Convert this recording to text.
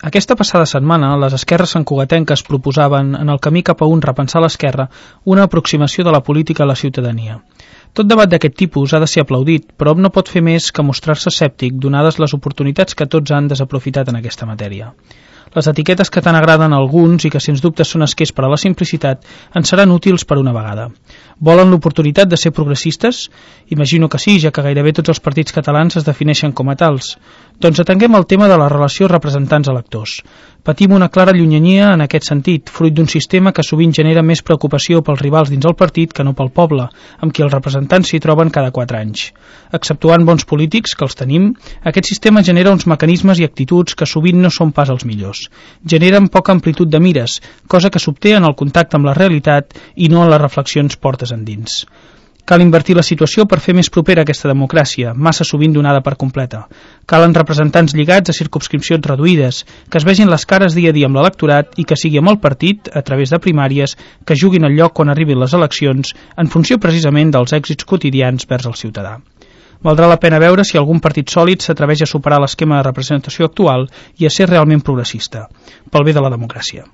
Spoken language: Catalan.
Aquesta passada setmana, les esquerres santcugatenques proposaven, en el camí cap a un repensar l'esquerra, una aproximació de la política a la ciutadania. Tot debat d'aquest tipus ha de ser aplaudit, però no pot fer més que mostrar-se escèptic donades les oportunitats que tots han desaprofitat en aquesta matèria. Les etiquetes que tant agraden a alguns i que sens dubte són esquers per a la simplicitat ens seran útils per una vegada. Volen l'oportunitat de ser progressistes? Imagino que sí, ja que gairebé tots els partits catalans es defineixen com a tals. Doncs atenguem el tema de la relació representants-electors. Patim una clara llunyania en aquest sentit, fruit d'un sistema que sovint genera més preocupació pels rivals dins el partit que no pel poble, amb qui els representants s'hi troben cada 4 anys. Exceptuant bons polítics, que els tenim, aquest sistema genera uns mecanismes i actituds que sovint no són pas els millors. Generen poca amplitud de mires, cosa que s'obté en el contacte amb la realitat i no en les reflexions portes endins. Cal invertir la situació per fer més propera aquesta democràcia, massa sovint donada per completa. Calen representants lligats a circumscripcions reduïdes, que es vegin les cares dia a dia amb l'electorat i que sigui amb el partit, a través de primàries, que juguin el lloc quan arribin les eleccions, en funció precisament dels èxits quotidians vers el ciutadà. Valdrà la pena veure si algun partit sòlid s'atreveix a superar l'esquema de representació actual i a ser realment progressista, pel bé de la democràcia.